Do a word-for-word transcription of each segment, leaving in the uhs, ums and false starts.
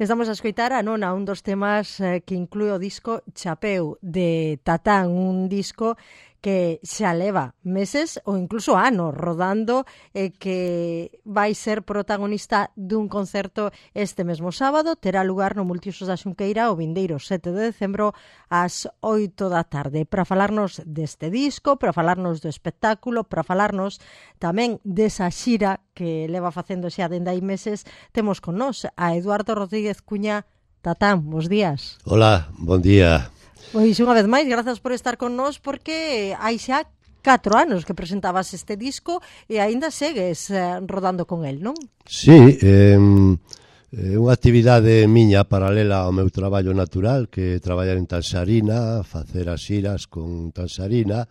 Estamos a escoitar a Nona, un dos temas eh, que inclúe o disco Chapeu de Tatán, un disco que xa leva meses ou incluso anos rodando e eh, que vai ser protagonista dun concerto este mesmo sábado. Terá lugar no Multiusos da Xunqueira o vindeiro sete de decembro ás oito da tarde. Para falarnos deste disco, para falarnos do espectáculo, para falarnos tamén desa xira que leva facendo xa dende hai meses, temos con nós a Eduardo Rodríguez Cuña. Tatán, bons días. Hola, bon día. Pois unha vez máis, grazas por estar con nós, porque hai xa catro anos que presentabas este disco e aínda segues eh, rodando con el, non? Sí, é eh, unha actividade miña paralela ao meu traballo natural, que é traballar en Tansarina, facer as xiras con Tansarina,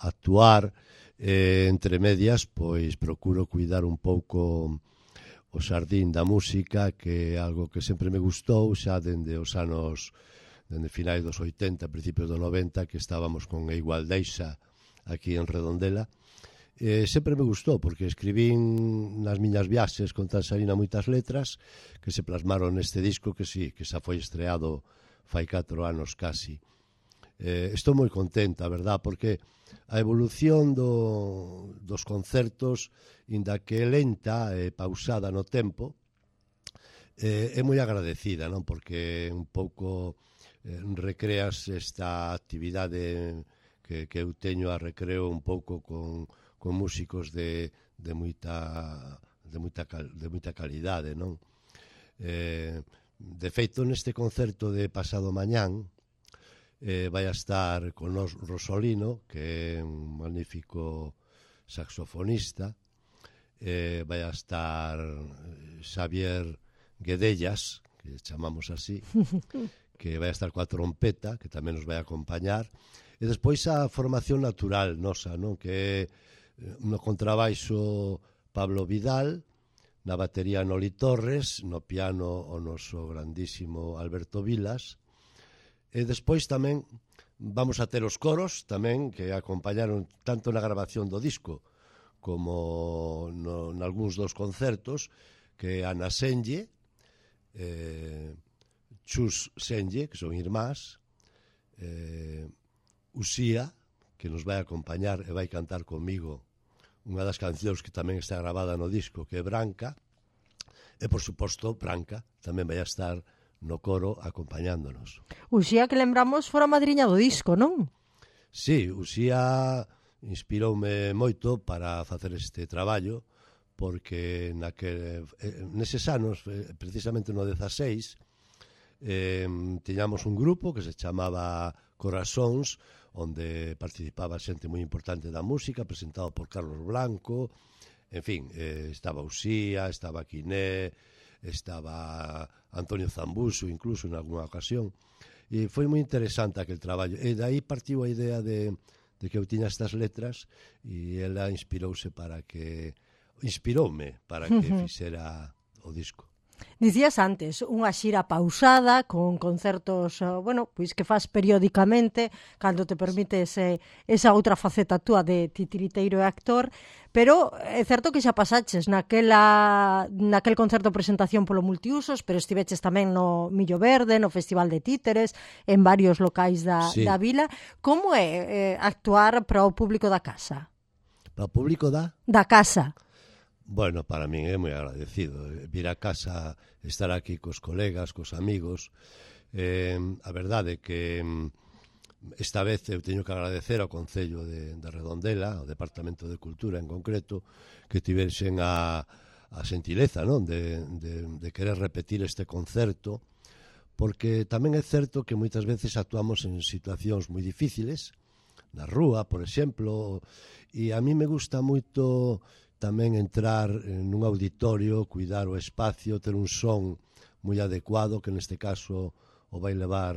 actuar, eh, entre medias, pois procuro cuidar un pouco o xardín da música, que é algo que sempre me gustou xa dende os anos, dende finais dos oitenta, principios do noventa, que estábamos con a Igualdeixa aquí en Redondela. Eh, sempre me gustou, porque escribín nas miñas viaxes con Tansarina moitas letras que se plasmaron neste disco, que sí, que xa foi estreado fai catro anos casi. Eh, estou moi contenta, a verdad, porque a evolución do, dos concertos, inda que é lenta e pausada no tempo, eh, é moi agradecida, non? Porque un pouco eh, recreas esta actividade que, que eu teño a recreo un pouco con, con músicos de, de moita de moita, de moita calidade, non? Eh, de feito, neste concerto de pasado mañán, eh, vai a estar con nos Rosolino, que é un magnífico saxofonista, eh, vai a estar Xavier Guedellas, que chamamos así, que vai a estar coa trompeta, que tamén nos vai a acompañar, e despois a formación natural nosa, non? Que é no contrabaixo Pablo Vidal, na batería Noli Torres, no piano o noso grandísimo Alberto Vilas, e despois tamén vamos a ter os coros tamén que acompañaron tanto na grabación do disco como no, nalgúns dos concertos, que é Ana Senlle, eh, Chus Senlle, que son irmás, eh, Usía, que nos vai acompañar e vai cantar comigo unha das cancións que tamén está gravada no disco, que é Branca, e, por suposto, Branca tamén vai a estar no coro acompañándonos. Uxía, que lembramos, fora a madriña do disco, non? Sí, Uxía inspiroume moito para facer este traballo, porque naquel, eh, neses anos, eh, precisamente no dezaseis, eh, tiñamos un grupo que se chamaba Corazóns, onde participaba xente moi importante da música, presentado por Carlos Blanco, en fin, eh, estaba Uxía, estaba Quiné, estaba Antonio Zambuso, incluso en alguna ocasión, e foi moi interesante aquel traballo, e dai partiu a idea de, de que eu tiña estas letras, e ela inspirouse para que, inspiroume para que fixera o disco. Dicías antes, unha xira pausada con concertos, bueno, pois que faz periódicamente cando te permite ese, esa outra faceta túa de titiriteiro e actor, pero é certo que xa pasaches naquela, naquel concerto presentación polo Multiusos, pero estiveches tamén no Millo Verde, no Festival de Títeres, en varios locais da, sí. da vila. Como é eh, actuar para o público da casa? Para o público da? Da casa. Bueno, para min é moi agradecido vir a casa, estar aquí cos colegas, cos amigos. Eh, a verdade é que esta vez eu teño que agradecer ao Concello de, de Redondela, ao Departamento de Cultura en concreto, que tiversen a, a xentileza, non? De, de, de querer repetir este concerto, porque tamén é certo que moitas veces actuamos en situacións moi difíciles, na rúa, por exemplo, e a mí me gusta moito tamén entrar nun auditorio, cuidar o espacio, ter un son moi adecuado, que neste caso o vai levar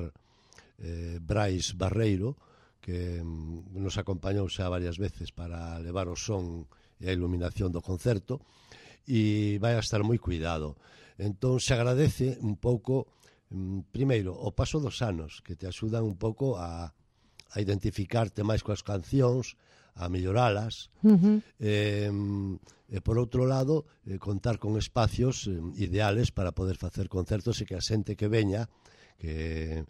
eh, Brais Barreiro, que mm, nos acompañou xa varias veces para levar o son e a iluminación do concerto, e vai a estar moi cuidado. Entón, se agradece un pouco, mm, primeiro, o paso dos anos, que te axudan un pouco a, a identificarte máis coas cancións, a melloralas. Uh-huh. Eh, e, por outro lado, eh, contar con espacios eh, ideales para poder facer concertos e que a xente que veña, que,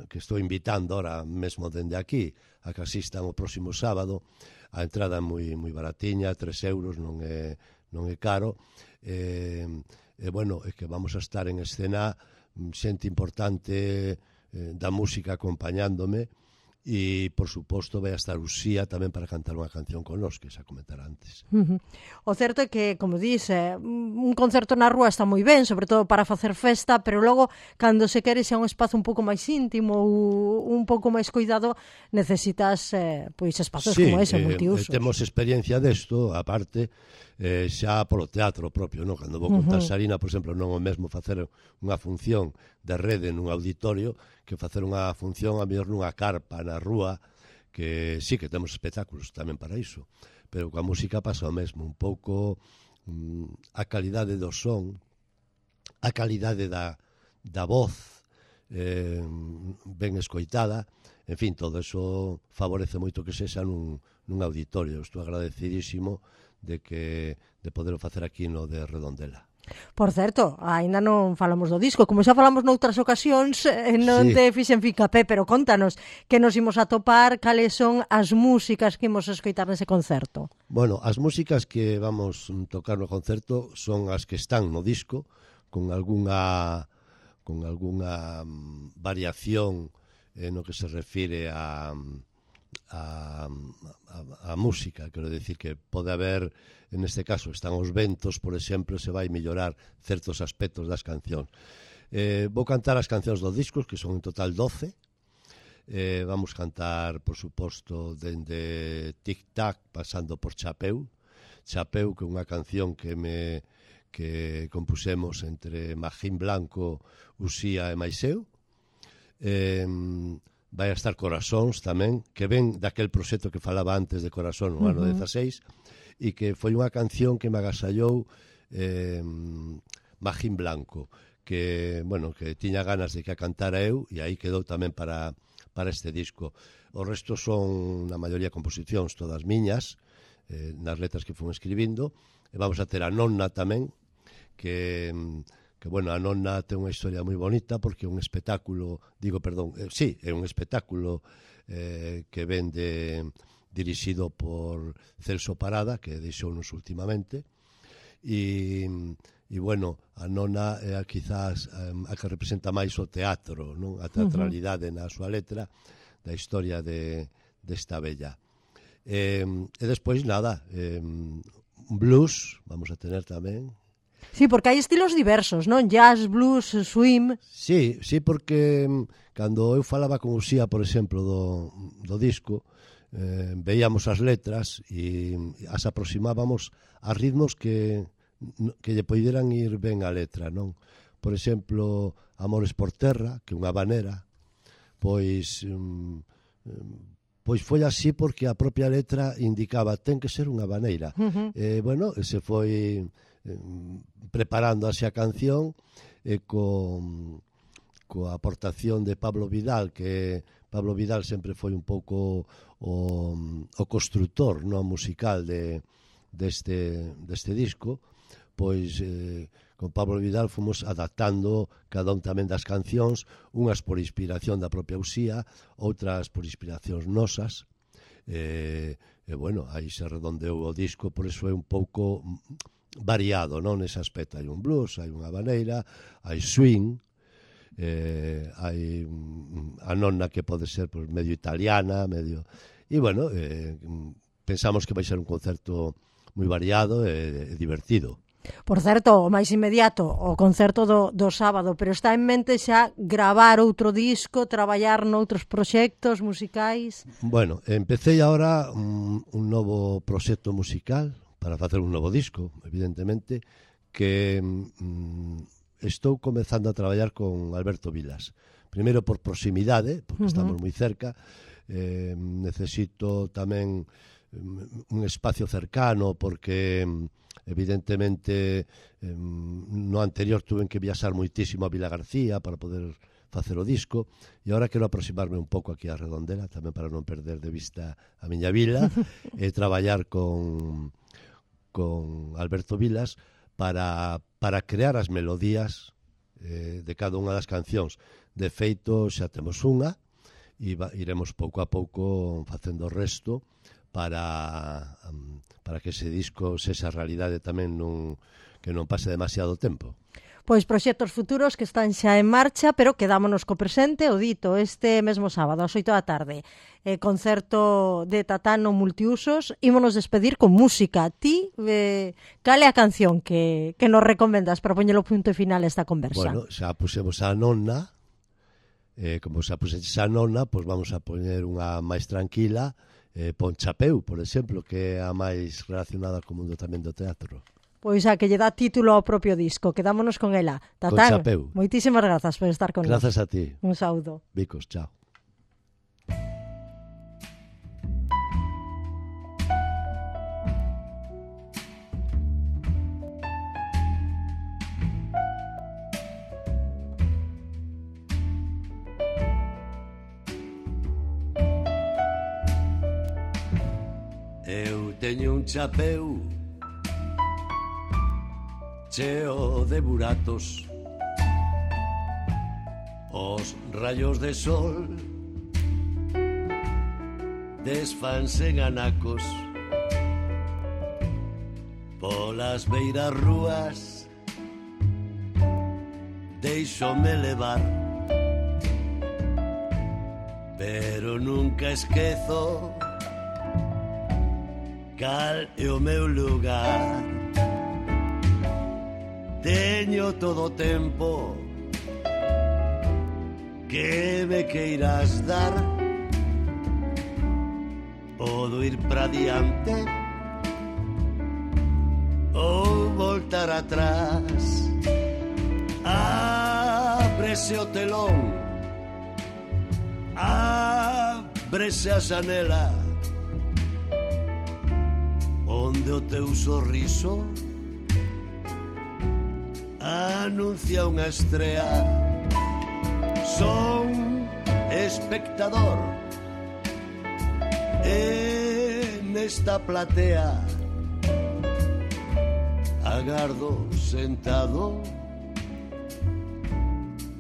que estou invitando ahora mesmo dende aquí, a que asistan o próximo sábado, a entrada é moi, moi baratiña, tres euros, non é, non é caro, e, e bueno, é que vamos a estar en escena xente importante eh, da música acompañándome, e, por suposto, vai a estar Uxía tamén para cantar unha canción con nós, que xa comentara antes. Uh-huh. O certo é que, como dice, un concerto na rúa está moi ben, sobre todo para facer festa, pero logo, cando se quere xa un espazo un pouco máis íntimo ou un pouco máis cuidado, necesitas eh, pois espazos sí, como ese, eh, multiusos. Temos experiencia desto, aparte, eh, xa polo teatro propio, non? Cando vou con Uh-huh. Tansarina, por exemplo, non o mesmo facer unha función de rede nun auditorio que facer unha función a mellor nunha carpa na rúa, que sí que temos espectáculos tamén para iso, pero coa música pasa o mesmo, un pouco mm, a calidade do son, a calidade da, da voz eh, ben escoitada, en fin, todo eso favorece moito que sexa nun, nun auditorio. Estou agradecidísimo de que de poder facer aquí no de Redondela. Por certo, aínda non falamos do disco, como xa falamos noutras ocasións, eh, non Sí. te fixen fincapé, pero contanos que nos imos a topar, cales son as músicas que imos a escoitar nese concerto. Bueno, as músicas que vamos tocar no concerto son as que están no disco, con algunha con algunha mm, variación eh, no que se refire a a, a, a música, quero decir que pode haber, en este caso están os ventos, por exemplo, se vai mellorar certos aspectos das cancións. Eh, vou cantar as cancións dos discos, que son en total doce. Eh, vamos cantar, por suposto, dende Tic Tac, pasando por Chapeu. Chapeu, que é unha canción que me que compusemos entre Magín Blanco, Uxía e Maiseu. Eh, vai a estar Corazóns tamén, que ven daquel proxecto que falaba antes de Corazón no ano Uh-huh. dezaseis, e que foi unha canción que me agasallou eh, Magín Blanco, que, bueno, que tiña ganas de que a cantara eu, e aí quedou tamén para, para este disco. O resto son, na maioría, composicións todas miñas, eh, nas letras que fun escribindo, e vamos a ter a Nonna tamén, que... que, bueno, a Nonna ten unha historia moi bonita porque é un espectáculo, digo, perdón, eh, sí, é un espectáculo eh, que vende dirixido por Celso Parada, que deixounos últimamente, e, e bueno, a Nonna é a, quizás a, a que representa máis o teatro, non? A teatralidade na súa letra da historia de desta bella. Eh, e despois, nada, eh, blues, vamos a tener tamén. Sí, porque hai estilos diversos, non? Jazz, blues, swing... Sí, sí, porque mm, cando eu falaba con Uxía, por exemplo, do, do disco, eh, veíamos as letras e as aproximábamos a ritmos que, que lle poideran ir ben a letra, non? Por exemplo, Amores por Terra, que é unha habanera, pois... Mm, pois foi así porque a propia letra indicaba ten que ser unha habanera. Uh-huh. Eh, bueno, se foi... preparando así a canción e con coa aportación de Pablo Vidal, que Pablo Vidal sempre foi un pouco o, o constructor no musical de, deste, deste disco, pois eh, con Pablo Vidal fomos adaptando cada un tamén das cancións, unhas por inspiración da propia Uxía, outras por inspiracións nosas, e, e bueno, aí se redondeou o disco, por eso é un pouco variado, non, nese aspecto. Hai un blues, hai unha habanera, hai swing, eh, hai a Nonna que pode ser pues, medio italiana, medio... E, bueno, eh, pensamos que vai ser un concerto moi variado e, e divertido. Por certo, o máis inmediato, o concerto do, do sábado, pero está en mente xa gravar outro disco, traballar noutros proxectos musicais? Bueno, empecé agora un, un novo proxecto musical, para facer un novo disco, evidentemente, que mm, estou comezando a traballar con Alberto Vilas. Primeiro por proximidade, porque uh-huh. estamos moi cerca, eh, necesito tamén un espacio cercano, porque evidentemente no anterior tuve que viaxar moitísimo a Vila García para poder facer o disco, e agora quero aproximarme un pouco aquí a Redondela, tamén para non perder de vista a miña vila, e traballar con, con Alberto Vilas para, para crear as melodías eh, de cada unha das cancións. De feito, xa temos unha, e va, iremos pouco a pouco facendo o resto para, um, para que ese disco sexa realidade tamén nun, que non pase demasiado tempo. Pois proxectos futuros que están xa en marcha, pero quedámonos co presente, o dito, este mesmo sábado, ás oito da tarde, eh, concerto de Tatán no Multiusos. Ímonos despedir con música. Ti, eh, cal é a canción que, que nos recomendas para poñer o punto final a esta conversa? Bueno, xa pusemos a nona, eh, como xa puxeches a nona, pois vamos a poñer unha máis tranquila, eh, pon Chapeu, por exemplo, que é a máis relacionada co mundo tamén do teatro. Pois a que lle dá título ao propio disco. Quedámonos con ela. Tatán, moitísimas grazas por estar con nós. Grazas a ti. Un saúdo. Bicos, chao. Eu teño un chapeu cheo de buratos, os rayos de sol desfanse en anacos, polas beiras rúas deixome levar, pero nunca esquezo cal é o meu lugar. Teño todo o tempo que me queiras dar, podo ir para diante ou voltar atrás. Ábrese o telón, ábrese a xanela, onde o teu sorriso anuncia unha estrea. Son espectador e nesta platea agardo sentado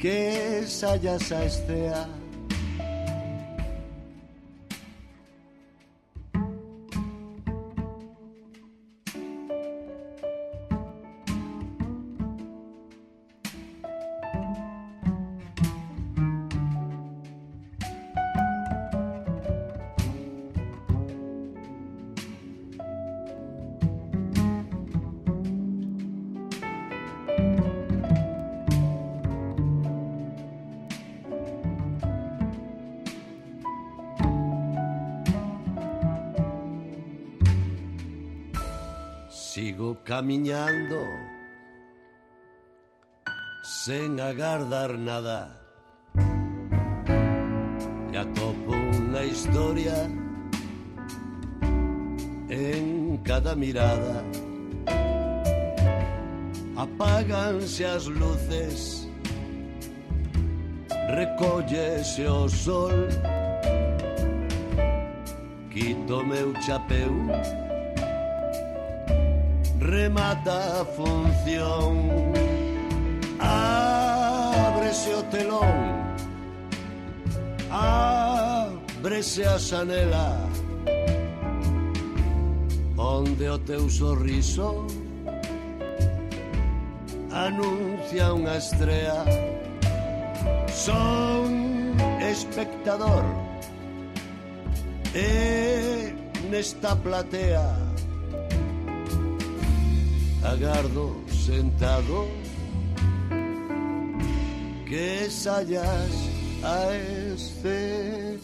que saias a estrea. Sigo camiñando sen agardar nada, e atopo unha historia en cada mirada. Apáganse as luces, recóllese o sol, quito meu chapeu, remata a función. Ábrese o telón, ábrese a xanela, onde o teu sorriso anuncia unha estrea. Son espectador e nesta platea agardo sentado que saias a este...